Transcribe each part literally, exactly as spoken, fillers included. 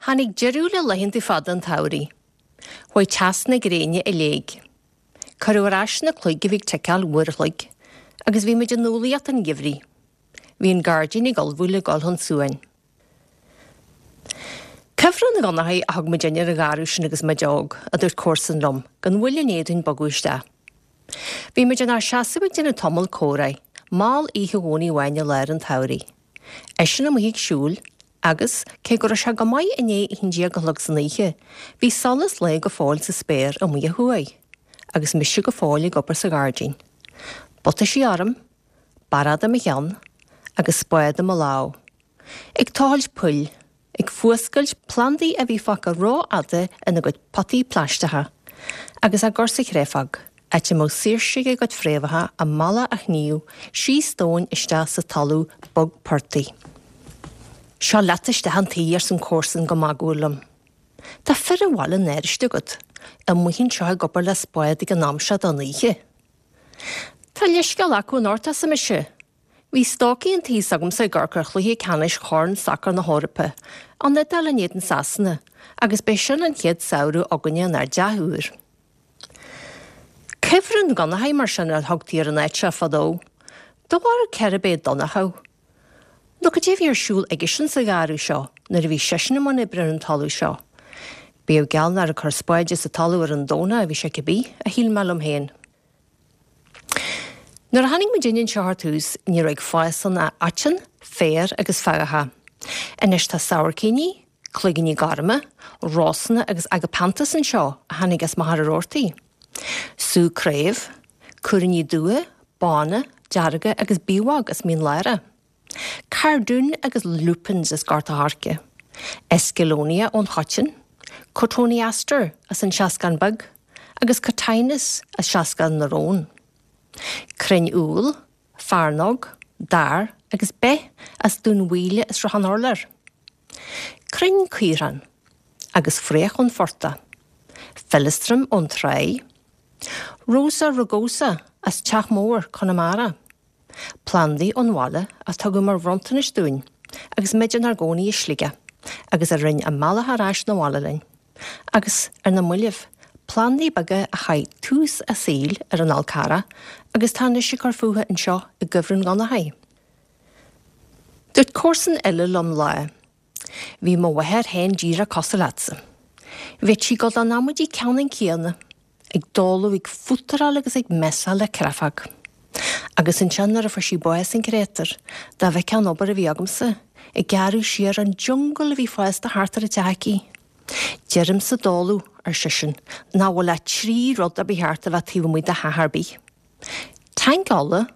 Tháinig deireadh le laethanta fada an tsamhraidh. Chuaigh teas na gréine i léig. Cuireadh ar ais na cloig a bhí ag ticeáil uair a chloig, agus bhí muid i numhlaíocht an gheimhridh. Bhí an gairdín ag ullmhú le dul chun suain. Cuibhreann an Dhonnachaidh a thug muidinne ar an gharradh sin agus muid óg, a dúirt comharsan liom, gan mhoill i ndiaidh dúinn bogadh isteach. Bhí muid inár seasamh ag déanamh tamall comhrá, mall oíche Dhomhnaigh amháin i lár an tsamhraidh. Eisean amuigh ag siúl, agus, cé go raibh sé go maith i ndiaidh a haon déag a chlog san oíche, bhí solas lae go fóill sa spéir amuigh ó thuaidh, agus mise go fóill ag obair sa ghairdín. Butaisí orm, barróg i mo cheann, agus spád i mo lámh. Ag tochailt poill, ag fuascailt plandaí a bhí fágtha rófhada ina gcuid potaí plaisteacha, agus á gcur sa chréafóg, áit a mbeadh saoirse ag a gcuid fréamhacha a mbealach a shníomh síos domhain isteach sa talamh bog portaigh. Seo leat isteach an tí, arsa an comharsan go magúil liom. Tá fir an bhaile náiriste agat, amuigh anseo ag obair le spád ag an am seo den oíche. Tá leithscéal acu anocht, arsa mise. Bhí stócaigh an tí s'agamsa ag amharc ar chluiche ceannais Chorn Sacair na hEorpa, an Iodáil in éadan Sasana, agus b'é sin an chéad samhradh againne inár dteach úr. Cuibhreann Dhonnachaidh mar sin a thugtaí ar an áit seo fadó. Do bharúil cérb é Donnchadh? Nó cad é a bhí ar siúl aigesean sa gharradh seo nuair a bhí seisean i mbun oibre ar an talamh seo? Bíodh geall nár ag cur spáide sa talamh ar an Domhnach a bhí sé cibé, a shíl mé liom féin. Nuair a tháinig muidinne anseo ar tús, ní raibh ag fás ann ach aiteann, féar agus feathacha. Anois tá sabhaircíní, cloigíní gorma, rósanna agus agapanthus anseo a tháinig as Machaire Rabhartaigh. Sú craobh, cuirní dubha, bána, dearga agus biabhóg as Mín Lárach. Cardoon agus lupins as Gort a' Choirce. Escallonia ón Choiteann, Cotoneaster as an Seascann Beag, agus Cotinus as Seascann na Rón. Crainn úll, fearnóg, dair agus beith as Dún Mhaoile is Sruthán Urláir. Crainn caorthainn agus fraoch ón phortach. Feileastram ón Tráigh. Rosa rugosa as Teach Mór, Conamara. Plandaí ón bhaile a tugadh mar bhronntanais dúinn agus muid inár gcónaí i Sligeach agus a rinne a mbealach ar ais 'na bhaile linn. Agus ar na mallaibh, plandaí beaga a chaith tús a saoil ar an Fhál Carrach agus tá anois ag cur fúthu anseo i gCuibhreann Dhonnachaidh. Dúirt comharsan eile liom lá, Bhí mo mháthair féin díreach cosúil leatsa. Bheadh sí ag dul don amaidí ceannann céanna, ag dóladh, ag fútaráil agus ag messáil le creafóg. Agus ansin nuair a fuair sí bás an créatúr, dá bhfeicfeá an obair a bhí agamsa, ag gearradh siar an jungle a bhí fásta thart ar an teach aici. Deirim sa dóladh, ar seisean, nach bhfuil ach trí rud a ba cheart a bheith taobh amuigh de theach ar bith. Tanc ola,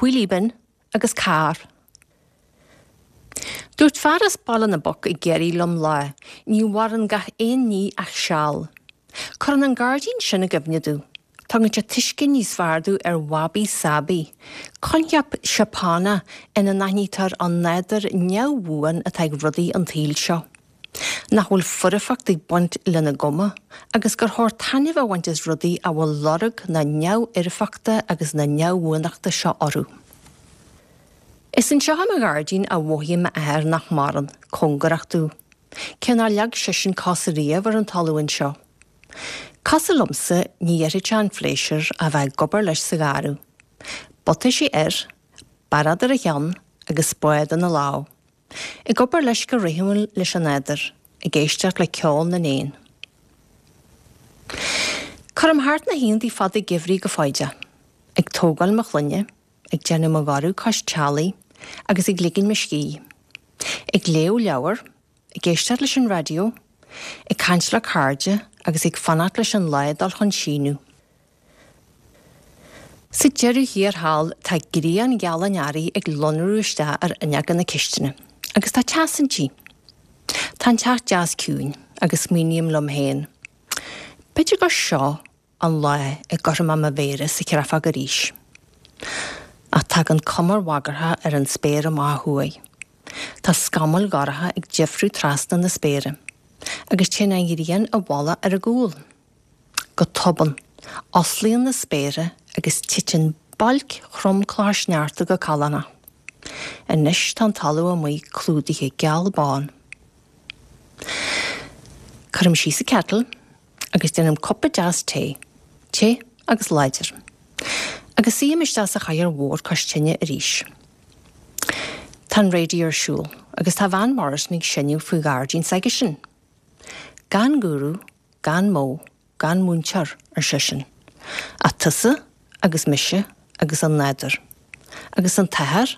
wheelie bin agus carr. Dúirt fear as Baile na bPoc i gCiarraí liom lá, ní mhaireann gach aon ní ach seal. Cuireann an gairdín sin i gcuimhne domh. Tugann sé tuiscint níos fearr domh ar wabi sabi, coincheap Seapánach ina n-aithnítear an nádúr neamhbhuan atá ag rudaí an tsaoil seo. Nach bhfuil foirfeacht ag baint lena gcuma, agus gur chóir taitneamh a bhaint as rudaí a bhfuil lorg na neamhfhoirfeachta agus na neamhbhuanachta seo orthu. Is anseo i mo ghairdín a mhothaigh m'athair nach maireann, cóngarach domh. Cé nár leag seisean cos riamh ar an talamh anseo. Cosúil liomsa, ní dhéarfadh sé an phléisiúr a bheith ag obair leis sa gharradh. Butaisí air, barróg ar a cheann agus spád ina lámh. Ag obair leis go rithimiúil leis an nádúr, ag éisteacht le ceol na n-éan. Cuirim thart na hoícheanta fada geimhridh go foighdeach, ag tógáil mo chlainne, ag déanamh mo gharradh cois teallaigh agus ag ligin mo scíth. Ag léamh leabhar, ag éisteacht leis an raidió, ag caint le cairde agus ag fanacht leis an lá dul chun síneadh. Sa deireadh thiar thall tá grian gheal an earraigh ag lonrú isteach ar fhuinneoga na cistine, agus tá teas inti. Tá an teach deas ciúin agus smaoiním liom féin, b'fhéidir gur seo an lá a gcuirfidh mé mo mhéara sa chréafóg arís. Ach tagann cumar bhagartha ar an spéir amach ó thuaidh. Tá scamaill dhorcha ag deifriú trasna na spéire, agus téann an ghrian i bhfolach ar a gcúl. Go tobann, osclaíonn na spéartha agus titeann bailc throm clocha sneachta go callánach. Anois tá an talamh amuigh clúdaithe geal bán. Cuirim síos an kettle agus déanaim cupa deas tae, te agus láidir. Agus suím isteach sa chathaoir mhór cois tine arís. Tá an raidió ar siúl agus tá Van Morrison ag seinm faoi ghairdín s'aigesean. Gan gúrú, gan modh, gan múinteoir ar seisean. Ach tusa agus mise agus an nádúr. Agus an tAthair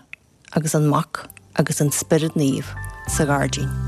agus an Mac agus an Spiorad Naomh sa ghairdín.